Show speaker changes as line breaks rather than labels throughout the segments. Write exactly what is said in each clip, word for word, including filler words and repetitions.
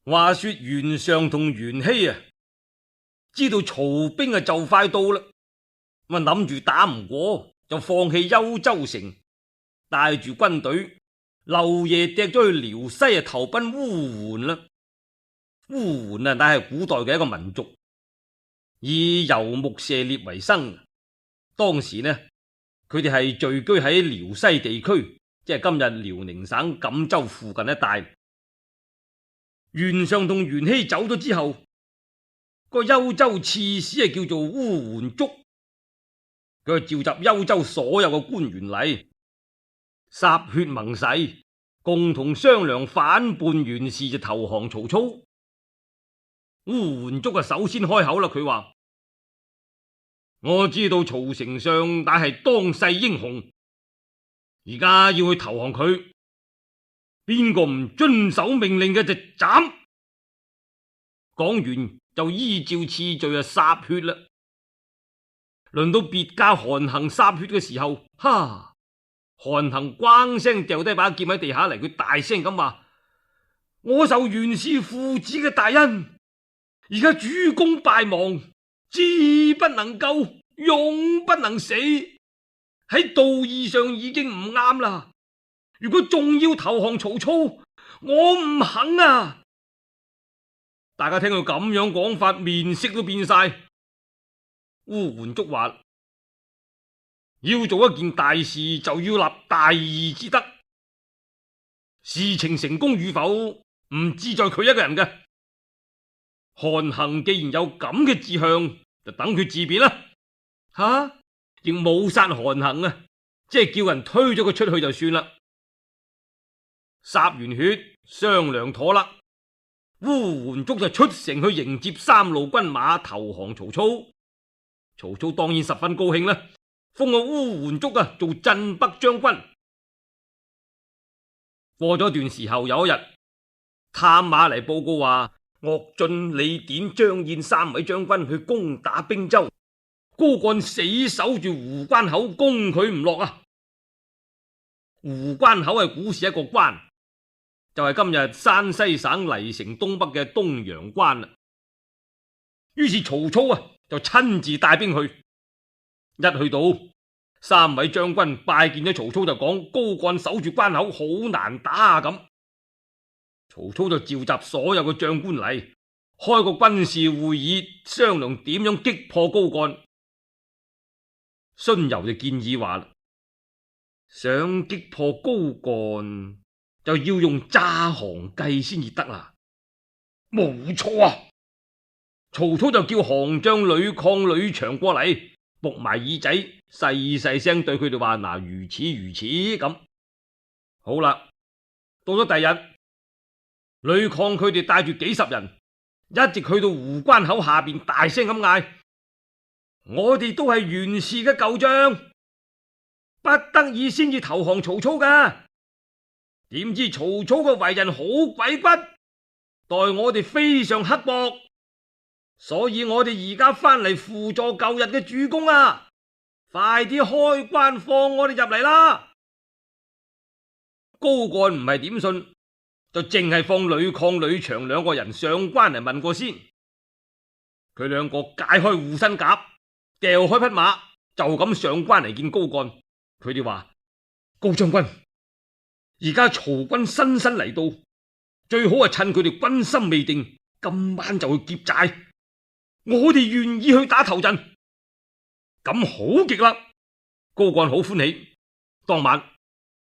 話說袁尚同袁熙啊，知道曹兵啊就快到啦，咁諗住打唔過就放棄幽州城，帶住軍隊漏夜趯咗去遼西啊投奔烏桓啦。烏桓啊，乃係古代嘅一個民族，以游牧射獵為生。當時呢，佢哋係聚居喺遼西地區，即係今日遼寧省錦州附近一帶。袁尚同袁熙走咗之後，個幽州刺史係叫做烏桓竹，佢召集幽州所有嘅官員嚟，歃血盟誓，共同商量反叛袁氏就投降曹操。烏桓竹啊，首先開口啦，佢話：我知道曹丞相乃係當世英雄，而家要去投降佢，邊個唔遵守命令嘅就斬。講完就依照次序啊歃血啦。輪到別駕韓衡歃血嘅時候，哈！韓衡咣聲掉低把劍喺地下嚟，佢大聲咁話：我受袁氏父子嘅大恩，而家主公敗亡，志不能救，勇不能死，喺道義上已經唔啱啦。如果仲要投降曹操，我唔肯啊！大家聽佢咁樣講法，面色都變晒。烏桓竹話：要做一件大事，就要立大義之德，事情成功與否唔志在佢一個人嘅。韓衡既然有咁嘅志向，就等佢自便啦。吓、啊，亦冇殺韓衡啊，即係叫人推咗佢出去就算啦。歃完血，商量妥啦，烏桓竹就出城去迎接三路軍馬投降曹操。曹操當然十分高興啦，封個烏桓竹啊做鎮北將軍。過咗段時候，有一日探馬嚟報告話，岳進、李典、張燕三位將軍去攻打兵州，高幹死守住湖關口，攻佢唔落啊！湖關口係古時一個關，就係今日山西省黎城東北嘅東陽關啦。於是曹操啊就親自帶兵去。一去到，三位將軍拜見咗曹操就講：高幹守住關口好難打啊！咁曹操就召集所有嘅將官嚟，開個軍事會議，商量點樣擊破高幹。荀攸就建議話：想擊破高幹，就要用詐降計先至得啦。冇錯啊！曹操就叫降將呂曠、呂祥過嚟，伏埋耳仔，細細聲對佢哋話：嗱，如此如此咁。好啦，到咗第日，呂曠佢哋帶住幾十人，一直去到湖關口下邊，大聲咁嗌：我哋都係袁氏嘅舊將，不得已先至投降曹操噶。點知曹操嘅為人好鬼骨，待我哋非常刻薄，所以我哋而家翻嚟輔助舊日嘅主公啊！快啲開關放我哋入嚟啦！高幹唔係點信，就淨係放呂曠、呂祥兩個人上關嚟問過先。佢兩個解開護身甲，掉開匹馬，就咁上關嚟見高幹。佢哋話：高將軍，而家曹軍新新嚟到，最好係趁佢哋軍心未定，今晚就去劫寨。我哋願意去打頭陣，咁好極啦！高幹好歡喜。當晚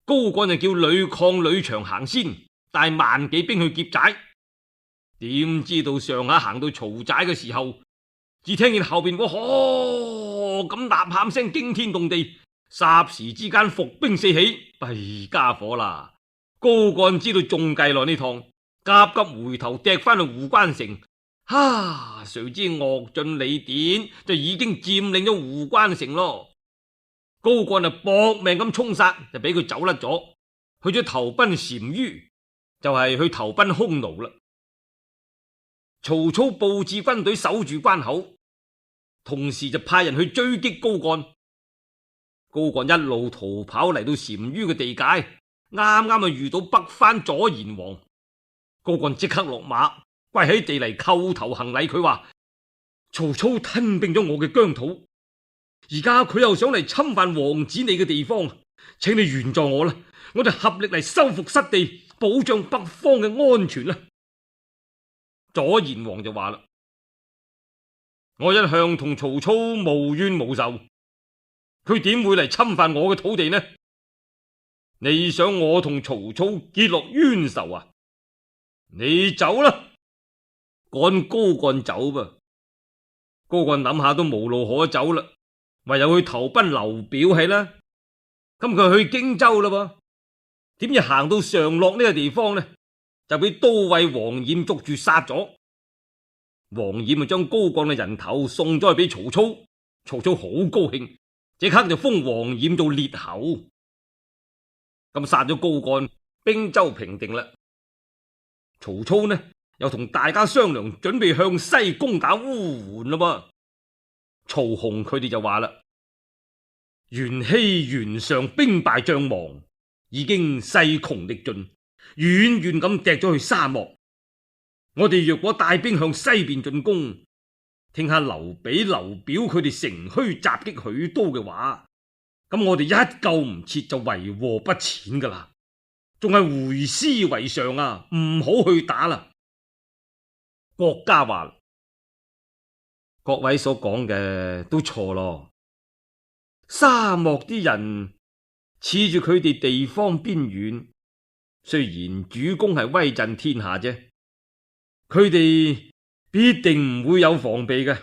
高幹就叫呂曠、呂祥行先，帶萬幾兵去劫寨。點知道上下行到曹寨嘅時候，只聽見後邊個呵咁吶喊聲驚天動地，霎時之間伏兵四起，弊家伙啦！高幹知道中計落呢趟，急急回頭趯翻去湖關城。哈！誰知岳進、李典就已經佔領咗湖關城咯。高幹啊搏命咁衝殺，就俾佢走甩咗，去咗投奔單于，就係、是、去投奔匈奴啦。曹操布置軍隊守住關口，同時就派人去追擊高幹。高幹一路逃跑嚟到單于嘅地界，啱啱啊遇到北番左賢王。高幹即刻落馬跪喺地嚟叩頭行禮。佢話曹操吞併咗我嘅疆土，而家佢又想嚟侵犯王子你嘅地方，請你援助我啦，我哋合力嚟收復失地，保障北方嘅安全啦。左賢王就話啦：我一向同曹操無冤無仇，佢點會嚟侵犯我嘅土地呢？你想我同曹操結落冤仇啊？你走啦，趕高幹走吧。高幹諗下都無路可走啦，唯有去投奔劉表係啦。咁佢去荊州啦噃，點知行到常洛呢個地方呢，就俾都尉王冉捉住殺咗。王冉就將高幹嘅人頭送咗去俾曹操，曹操好高興，即刻就封王冉做列侯。咁殺咗高幹，兵州平定啦。曹操呢又同大家商量，準備向西攻打烏桓啦。曹洪佢哋就話啦：袁熙、袁尚兵敗將亡，已經勢窮力盡，遠遠咁趯咗去沙漠。我哋若果帶兵向西邊進攻，聽下劉備、劉表佢哋乘虛襲擊許都嘅話，咁我哋一救唔切就為禍不淺噶啦，仲係回師為上啊，唔好去打啦。郭嘉話：各位所講嘅都錯咯，沙漠啲人恃住佢哋地方邊遠，雖然主公係威震天下啫，佢哋必定唔會有防備嘅。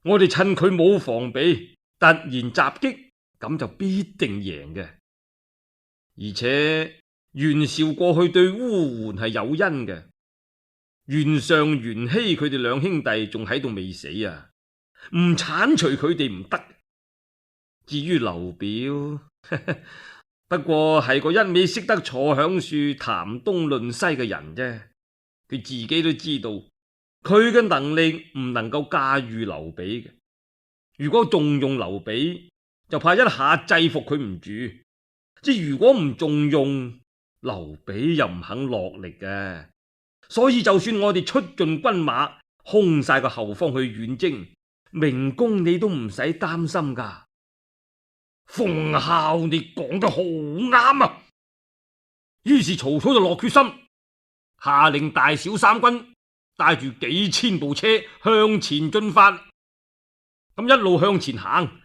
我哋趁佢冇防備，突然襲擊，咁就必定贏嘅。而且袁紹過去對烏桓係有恩嘅，袁尚、袁熙佢哋兩兄弟仲喺度未死啊，唔鏟除佢哋唔得。至於劉表，呵呵，不過係個一味識得坐響樹談東論西嘅人啫。佢自己都知道，佢嘅能力唔能夠駕馭劉備嘅。如果重用劉備，就怕一下制服佢唔住。即如果唔重用，劉備又唔肯落力嘅。所以就算我哋出盡軍馬，空晒個後方去遠征，明公你都唔使擔心噶。馮孝，你講得好啱啊！於是曹操就落決心，下令大小三軍帶住幾千部車向前進發。咁一路向前行，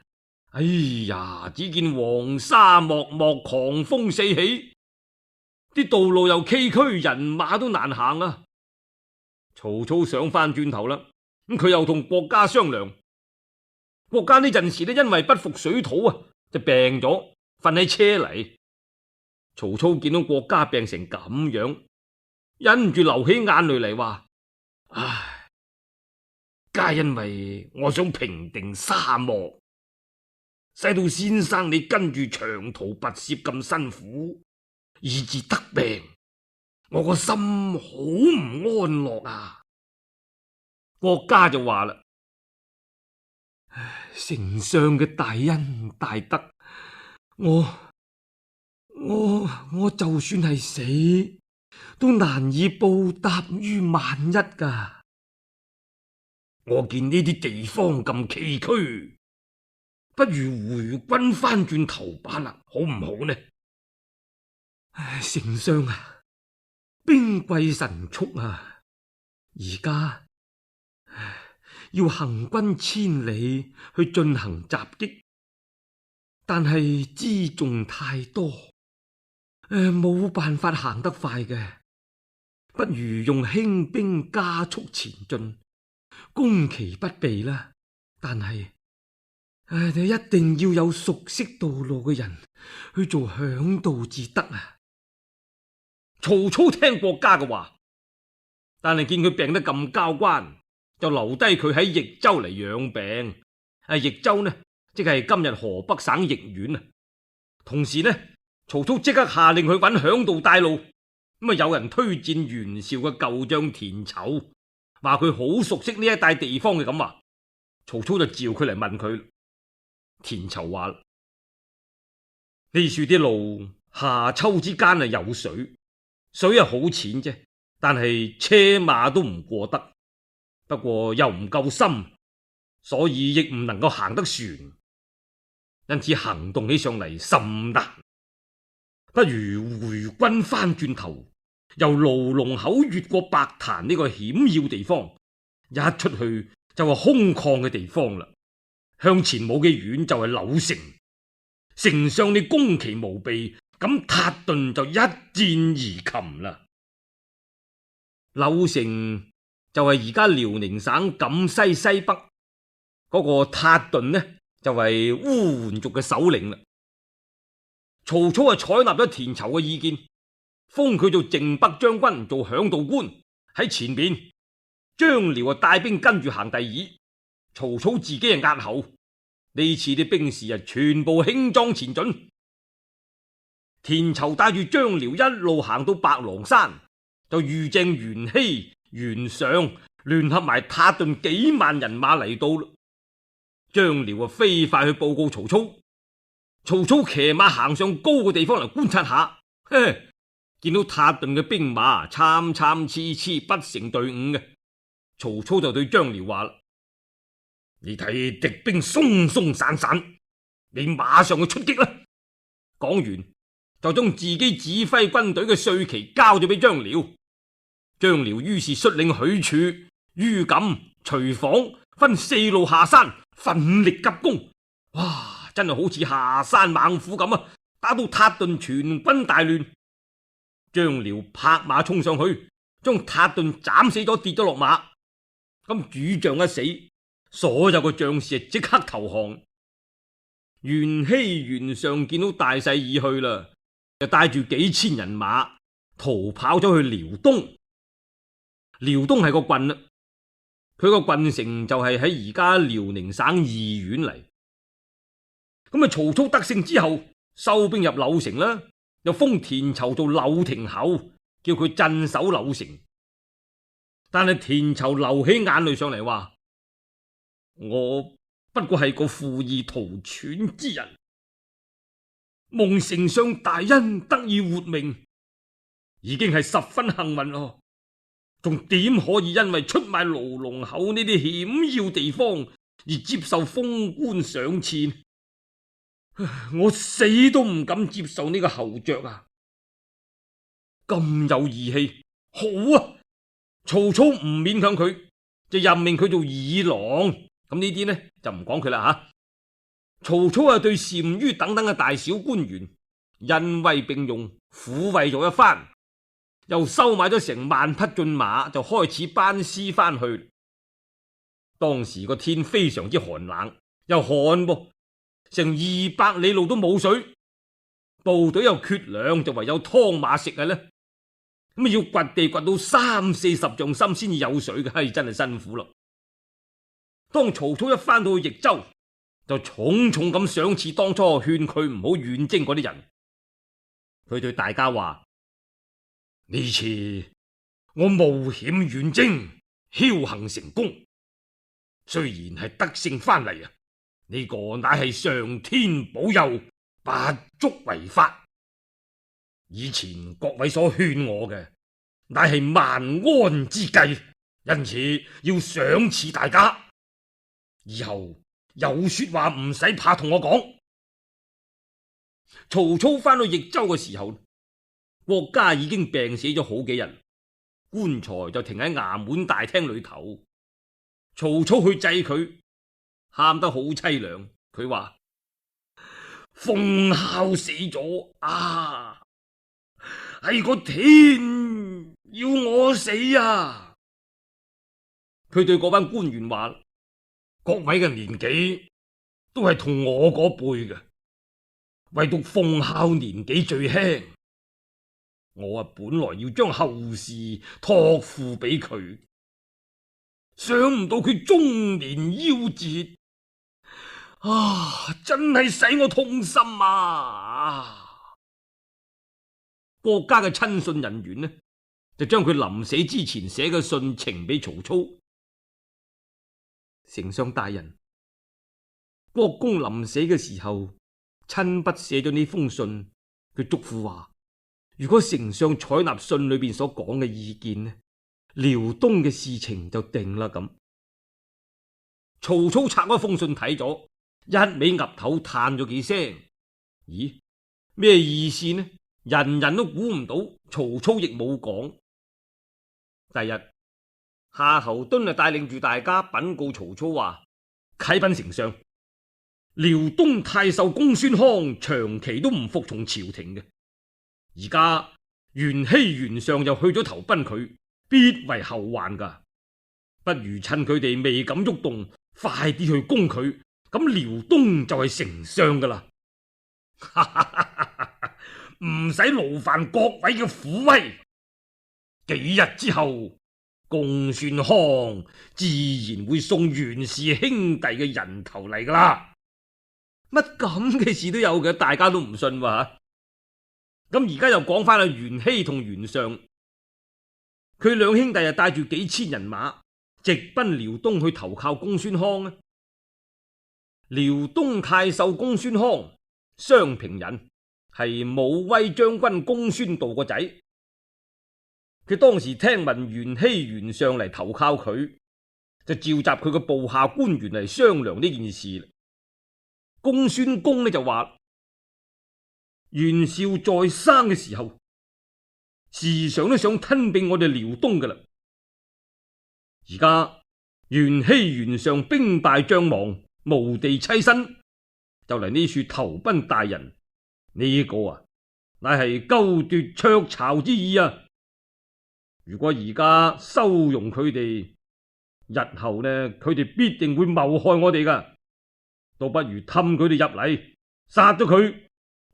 哎呀，只見黃沙漠漠，狂風四起，啲道路又崎嶇，人馬都難行啊！曹操想翻轉頭啦，咁佢又同郭嘉商量。郭嘉呢陣時呢，因為不服水土啊，就病咗，瞓喺車嚟。曹操見到郭嘉病成咁樣，忍唔住流起眼淚嚟，話：唉，皆因為我想平定沙漠，使到先生你跟住長途跋涉咁辛苦，以致得病，我個心好唔安樂啊！郭嘉就話啦：丞相嘅大恩大德，我我我就算係死，都難以報答於萬一噶。我見呢啲地方咁崎嶇，不如回軍翻轉頭把啦，好唔好呢？唉，丞相啊，兵貴神速啊，而家要行軍千里去進行襲擊，但係輜重太多，誒，冇辦法行得快嘅，不如用輕兵加速前進，攻其不備啦。但係誒，你一定要有熟悉道路嘅人去做響導至得啊！曹操聽郭嘉嘅話，但係見佢病得咁交關，就留低佢喺益州嚟養病。啊，益州呢，即係今日河北省益縣啊。同時呢，曹操即刻下令去揾響導帶路。咁啊，有人推薦袁紹嘅舊將田疇，話佢好熟悉呢一帶地方嘅咁話。曹操就召佢嚟問佢。田疇話：呢處啲路夏秋之間啊有水，水啊好淺啫，但係車馬都唔過得。不過又唔夠深，所以亦唔能夠行得船，因此行動起上嚟甚難。不如回軍翻轉頭，由牢籠口越過白潭呢個險要地方，一出去就係空曠嘅地方啦。向前冇幾遠就係柳城，城上你攻其無備，咁塔頓就一箭而擒啦。柳城就係而家遼寧省錦西西北嗰個塔頓呢，就係烏桓族嘅首領啦。曹操啊採納咗田疇嘅意見，封佢做靖北將軍，做響道官喺前邊。張遼啊帶兵跟住行第二，曹操自己啊壓後。呢次啲兵士啊全部輕裝前進。田疇帶住張遼一路行到白狼山，就遇正袁熙、袁尚聯合埋塔頓幾萬人馬嚟到啦。張遼啊飛快去報告曹操。曹操騎馬行上高嘅地方嚟觀察下，嘿，見到塔頓嘅兵馬參參差差不成隊伍嘅。曹操就對張遼話啦：你睇敵兵鬆鬆散散，你馬上去出擊啦。講完就將自己指揮軍隊嘅帥旗交咗俾張遼。張遼於是率領許褚、于錦、徐晃分四路下山，奮力急攻。哇！真係好似下山猛虎咁啊！打到塔頓全軍大亂。張遼拍馬衝上去，將塔頓斬死咗，跌咗落馬。咁主將一死，所有嘅將士即刻投降。袁熙、袁尚見到大勢已去啦，就帶住幾千人馬逃跑咗去遼東。遼東係個郡啦，佢個郡城就係喺而家遼寧省義縣嚟。咁啊！曹操得勝之後，收兵入柳城啦，又封田疇做柳亭侯，叫佢鎮守柳城。但係田疇流起眼淚上嚟，話：我不過係個負義圖喘之人，蒙丞相大恩得以活命，已經係十分幸運咯。仲點可以因為出賣牢籠口呢啲險要地方而接受封官賞賜？我死都唔敢接受呢個侯爵啊！咁有義氣，好啊！曹操唔勉強佢，就任命佢做議郎。咁呢啲呢就唔講佢啦吓。曹操啊對單于等等嘅大小官員恩惠並用，撫慰咗一番，又收買咗成萬匹駿馬，就開始班師翻去。當時個天非常之寒冷，又旱噃。成二百里路都冇水，部隊又缺糧，就唯有湯馬食啊咧。咁啊要掘地掘到三四十丈深先至有水嘅，係真係辛苦咯。當曹操一翻到去益州，就重重咁賞賜當初勸佢唔好遠征嗰啲人。佢對大家話：呢次我冒險遠征，僥倖成功，雖然係得勝翻嚟啊，呢個乃係上天保佑，不足為法。以前各位所勸我嘅，乃係萬安之計，因此要賞賜大家。以後有說話唔使怕同我講。曹操翻到益州嘅時候，國家已經病死咗好幾日，棺材就停喺衙門大廳裏頭。曹操去祭佢，喊得好淒涼。佢話：奉孝死咗啊，係個天要我死啊！佢對嗰班官員話：各位嘅年紀都係同我嗰輩嘅，唯獨奉孝年紀最輕。我啊本來要將後事託付俾佢，想唔到佢中年夭折，啊！真係使我痛心啊！國家嘅親信人員呢，就將佢臨死之前寫嘅信呈俾曹操。丞相大人，國公臨死嘅時候親筆寫咗呢封信，佢囑咐話：如果丞相採納信裏邊所講嘅意見呢，遼東嘅事情就定啦咁。曹操拆開封信睇咗，一味岌頭嘆咗幾聲。咦，咩意思呢？人人都估唔到，曹操亦冇講。第日，夏侯惇就帶領住大家稟告曹操話：啟稟丞相，遼東太守公孫康長期都唔服從朝廷嘅，而家袁熙、袁尚又去咗投奔佢，必為後患噶。不如趁佢哋未敢喐動，快啲去攻佢，咁遼東就係丞相噶啦。唔使勞煩各位嘅虎威，幾日之後，公孫康自然會送袁氏兄弟嘅人頭嚟噶啦。乜咁嘅事都有嘅，大家都唔信喎。咁而家又講翻阿袁熙同袁尚，佢兩兄弟啊帶住幾千人馬，直奔遼東去投靠公孫康啊。遼東太守公孫康，襄平人，係武威將軍公孫度個仔。佢當時聽聞袁熙、袁尚嚟投靠佢，就召集佢個部下官員嚟商量呢件事。公孫公呢就話：袁紹在生嘅時候，時常都想吞併我哋遼東噶啦。而家袁熙、袁尚兵敗將亡，無地棲身，就嚟呢處投奔大人。呢、這個啊，乃係勾奪鵲巢之意啊！如果而家收容佢哋，日後呢，佢哋必定會謀害我哋噶。倒不如氹佢哋入嚟，殺咗佢，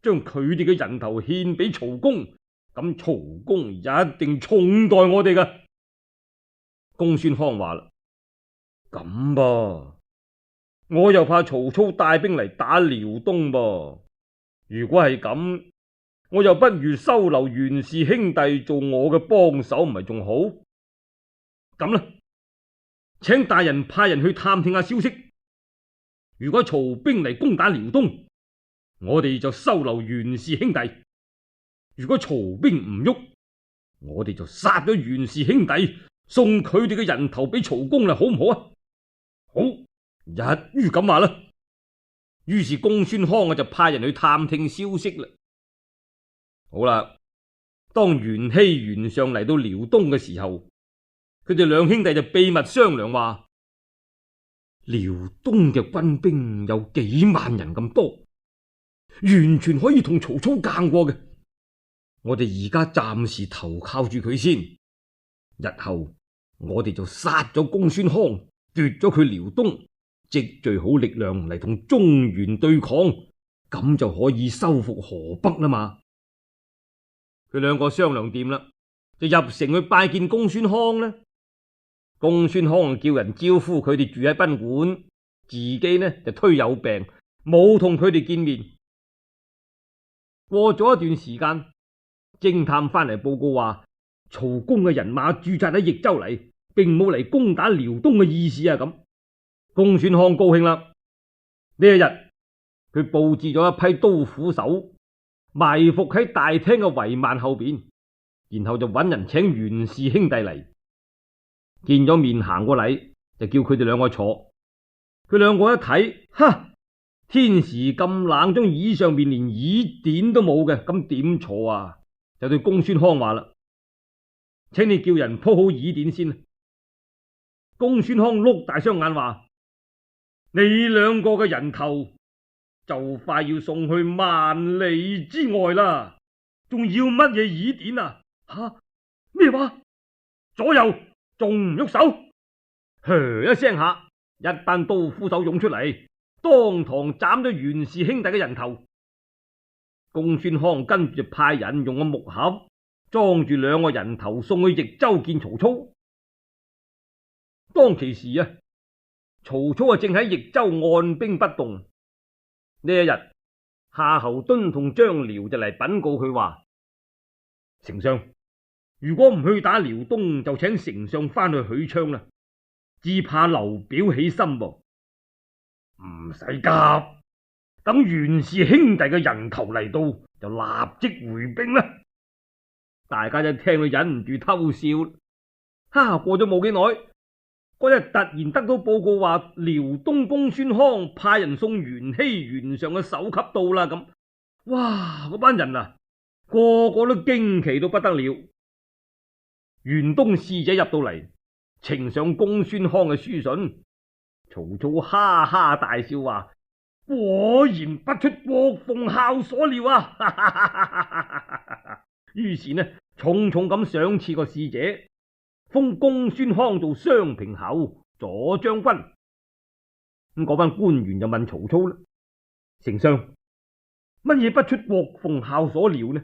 將佢哋嘅人頭獻俾曹公，咁曹公一定寵待我哋噶。公孫康話啦：咁噃，我又怕曹操帶兵嚟打遼東噃。如果係咁，我又不如收留袁氏兄弟做我嘅幫手，唔係仲好？咁啦，請大人派人去探聽下消息。如果曹兵嚟攻打遼東，我哋就收留袁氏兄弟；如果曹兵唔喐，我哋就殺咗袁氏兄弟，送佢哋嘅人頭俾曹公啦，好唔好啊？好，一於咁話啦。於是公孫康啊就派人去探聽消息啦。好啦，當袁熙、袁尚嚟到遼東嘅時候，佢哋兩兄弟就秘密商量話：遼東嘅軍兵有幾萬人咁多，完全可以同曹操硬過嘅。我哋而家暫時投靠住佢先，日後我哋就殺咗公孫康，奪咗佢遼東，積聚好力量嚟同中原對抗，咁就可以收復河北啦嘛。佢兩個商量掂啦，就入城去拜見公孫康啦。公孫康叫人招呼佢哋住喺賓館，自己呢就推有病，冇同佢哋見面。過咗一段時間，偵探翻嚟報告話，曹公嘅人馬駐紮喺益州嚟，並冇嚟攻打遼東嘅意思啊！咁公孫康高興啦。呢一日，佢佈置咗一批刀斧手，埋伏喺大廳嘅帷幔後邊，然後就揾人請袁氏兄弟嚟。見咗面行過禮，就叫佢哋兩個坐。佢兩個一睇，哈！天時咁冷，張椅上面連椅墊都冇嘅，咁點坐啊？就對公孫康話啦：請你叫人鋪好椅墊先。公孫康碌大雙眼話：你兩個嘅人頭就快要送去萬里之外啦，仲要乜嘢椅墊啊？吓？咩話？左右仲唔喐手？噓一聲下，一班刀斧手湧出嚟，當堂斬咗袁氏兄弟嘅人頭。公孫康跟住派人用個木盒裝住兩個人頭送去益州見曹操。當其時啊，曹操啊正喺益州按兵不動。呢一日，夏侯惇同張遼就嚟稟告佢話：丞相，如果唔去打遼東，就請丞相翻去許昌啦，只怕劉表起心噃。唔使急，等袁氏兄弟嘅人頭嚟到，就立即回兵啦。大家一聽到忍唔住偷笑。哈！過咗冇幾耐，嗰日突然得到報告話，遼東公孫康派人送元熙、元上嘅首級到啦。咁，哇！嗰班人啊，個個都驚奇到不得了。元東使者入到嚟，呈上公孫康嘅書信。曹操哈哈大笑話：果然不出郭奉孝所料啊！於是呢，重重咁賞賜個使者，封公孫康做襄平侯、左將軍。咁嗰班官員就問曹操啦：丞相，乜嘢不出郭奉孝所料呢？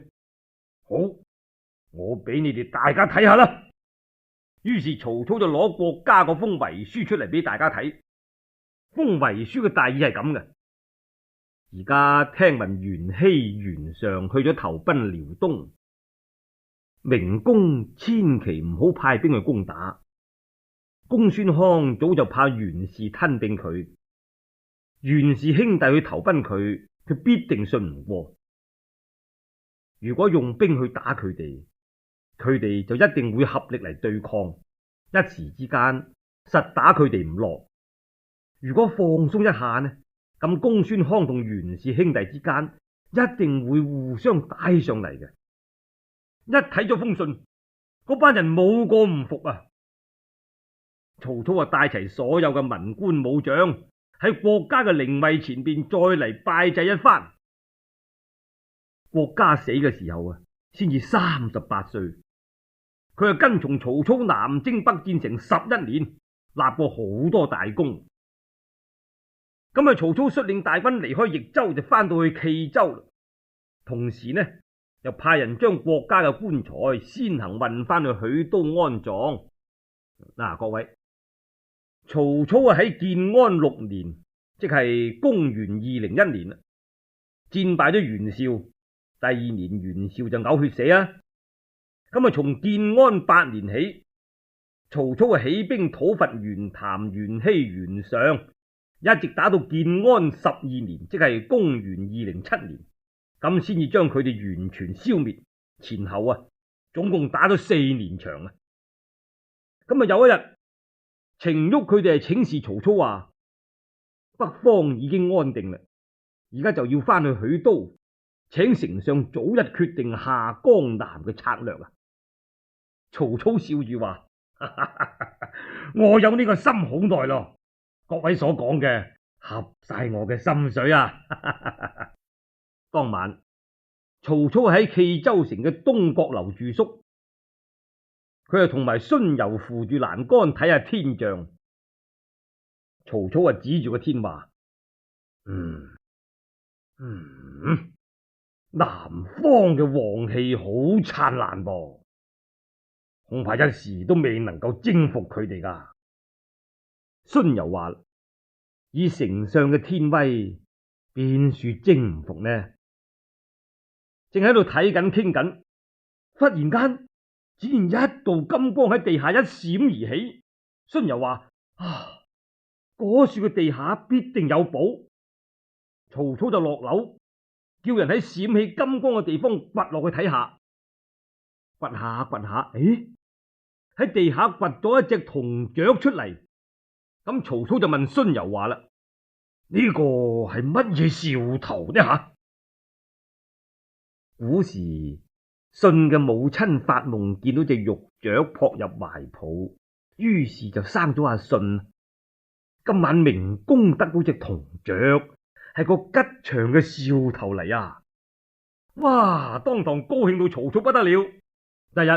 好，我俾你哋大家睇下啦。於是曹操就攞國家嗰封遺書出嚟俾大家睇。封遺書嘅大意係咁嘅：而家聽聞元熙、元上去咗投奔遼東，明公千祈唔好派兵去攻打。公孫康早就怕袁氏吞併佢，袁氏兄弟去投奔佢，佢必定信唔過。如果用兵去打佢哋，佢哋就一定會合力嚟對抗，一時之間實打佢哋唔落。如果放鬆一下呢，咁公孫康同袁氏兄弟之間一定會互相打上嚟嘅。一睇咗封信，嗰班人冇個唔服啊！曹操啊，帶齊所有嘅文官武將喺國家嘅靈位前邊再嚟拜祭一番。國家死嘅時候啊，先至三十八歲，佢啊跟從曹操南征北戰成十一年，立過好多大功。咁啊，曹操率領大軍離開益州，就翻到去冀州，同時呢又派人將國家嘅棺材先行運翻去許都安葬。嗱、啊，各位，曹操啊喺建安六年，即係公元二零一年啦，戰敗咗袁紹。第二年袁紹就嘔血死啊。咁啊，從建安八年起，曹操啊起兵討伐袁譚、袁熙、袁尚，一直打到建安十二年，即係公元二零七年，咁先至將佢哋完全消滅。前後啊，總共打咗四年長啊。咁啊，有一日，程昱佢哋係請示曹操話：北方已經安定啦，而家就要翻去許都，請丞相早日決定下江南嘅策略啊！曹操笑住話：我有呢個心好耐咯，各位所講嘅合晒我嘅心水啊！當晚，曹操喺冀州城嘅東閣樓住宿，佢係同埋荀攸扶住欄杆睇下天象。曹操啊指住個天話：嗯嗯，南方嘅王氣好燦爛噃，恐怕一時都未能夠征服佢哋噶。荀攸話：以丞相嘅天威，邊處征唔服呢？正喺度睇緊傾緊，忽然間只見一道金光喺地下一閃而起。荀攸話：啊，嗰處嘅地下必定有寶。曹操就落樓，叫人喺閃起金光嘅地方掘落去睇下。掘下掘下，誒，喺地下掘咗一隻銅雀出嚟。咁曹操就問荀攸話啦：呢個係乜嘢兆頭呢？吓！古時舜嘅母親發夢見到隻玉雀撲入懷抱，於是就生咗阿舜。今晚明公得到隻銅雀，係個吉祥嘅兆頭嚟啊！哇！當堂高興到曹操不得了。第日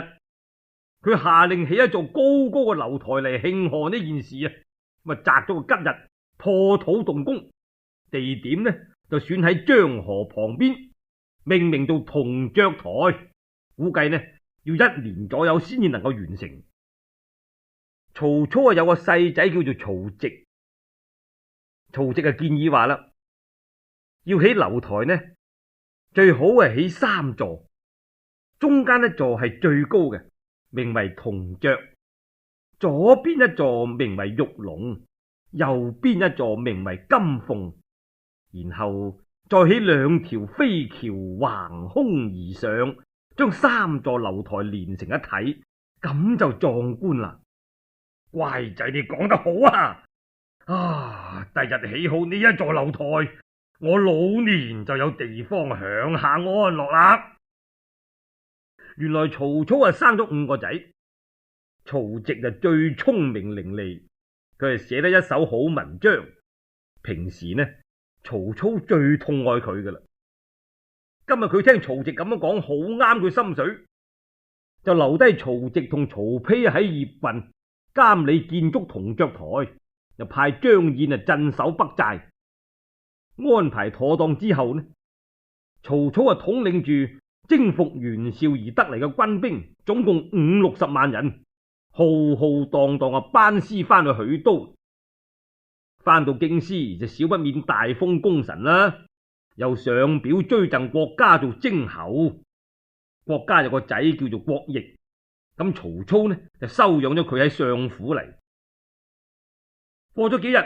佢下令起一座高高嘅樓台嚟慶賀呢件事啊！咁啊，擇咗個吉日破土動工，地點呢就選喺漳河旁邊，命名做銅雀台。估計呢要一年左右先至能夠完成。曹操啊有個細仔叫做曹植，曹植啊建議話啦，要起樓台呢，最好係起三座，中間一座係最高嘅，名為銅雀；左邊一座名為玉龍，右邊一座名為金鳳，然後再起兩條飛橋橫空而上，將三座樓台連成一體，咁就壯觀啦。乖仔，你講得好啊！啊，第日起好呢一座樓台，我老年就有地方享下安樂啦。原來曹操啊生咗五個仔，曹植啊最聰明伶俐，佢係寫得一手好文章。平時呢，曹操最痛愛佢噶啦。今日佢聽曹植咁樣講，好啱佢心水，就留低曹植同曹丕喺葉郡監理建築銅雀台，又派張燕啊鎮守北寨。安排妥當之後呢，曹操啊統領住征服袁紹而得嚟嘅軍兵，總共五六十萬人，浩浩蕩蕩啊班師翻去許都。翻到京師就少不免大封功臣啦，又上表追贈郭嘉做征侯。郭嘉有個仔叫做郭奕，咁曹操呢就收養咗佢喺相府嚟。過咗幾日，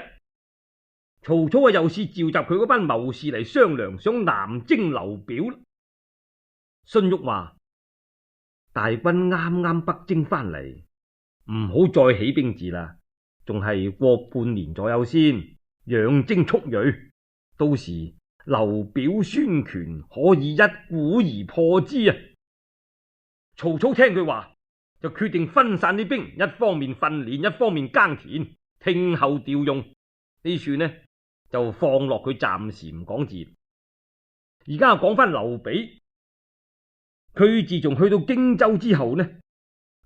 曹操啊又是召集佢嗰班謀士嚟商量，想南征劉表。荀彧話：大軍啱啱北征翻嚟，唔好再起兵字啦，仲係過半年左右先養精蓄銳，到時劉表孫權可以一鼓而破之啊！曹操聽佢話，就決定分散啲兵，一方面訓練，一方面耕田，聽候調用。呢處呢就放落佢暫時唔講字。而家講翻劉備，佢自從去到荊州之後呢，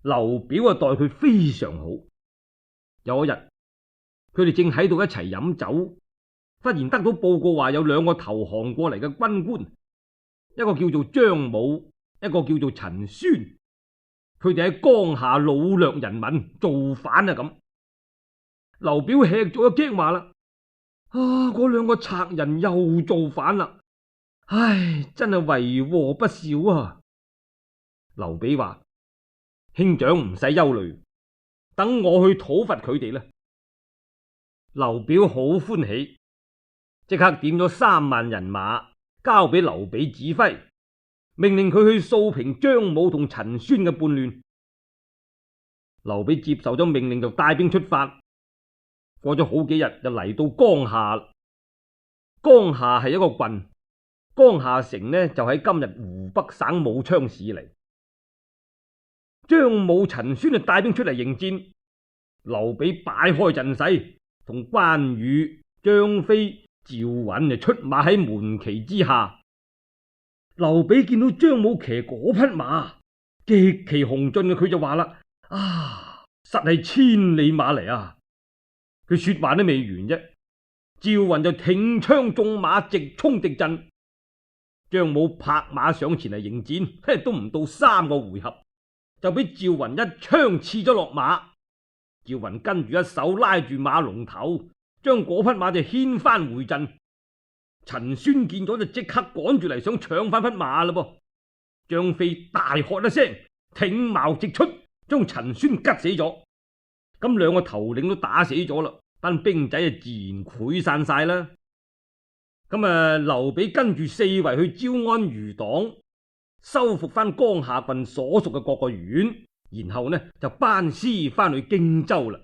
劉表啊待佢非常好。有一日，佢哋正喺度一齊飲酒，忽然得到報告話有兩個投降過嚟嘅軍官，一個叫做張武，一個叫做陳孫。佢哋喺江夏擄掠人民，造反啊咁。劉表吃咗一驚，話啦：啊，嗰兩個賊人又造反啦！唉，真係為禍不少啊！劉備話：兄長唔使憂慮，等我去討伐佢哋啦。劉表好歡喜，即刻點咗三萬人馬交俾劉備指揮，命令佢去掃平張武同陳孫嘅叛亂。劉備接受咗命令，就帶兵出發。過咗好幾日，就嚟到江夏。江夏係一個郡，江夏城呢就喺今日湖北省武昌市嚟。張武、陳孫就帶兵出嚟迎戰。劉備擺開陣勢，同關羽、張飛、趙雲就出馬喺門旗之下。劉備見到張武騎嗰匹馬極其雄俊嘅，佢就話啦：啊，實係千里馬嚟啊！佢說話都未完啫，趙雲就挺槍縱馬直衝敵陣。張武拍馬上前嚟迎戰，都唔到三個回合，就俾趙雲一槍刺咗落馬。趙雲跟住一手拉住馬龍頭，將嗰匹馬就牽翻回陣。陳孫見咗就即刻趕住嚟，想搶翻匹馬啦噃。張飛大喝一聲，挺矛直出，將陳孫吉死咗。咁兩個頭領都打死咗啦，班兵仔啊自然潰散晒啦。咁啊，劉備跟住四圍去招安餘黨，收復翻江夏郡所屬嘅各個縣，然後呢就班師翻去荊州啦。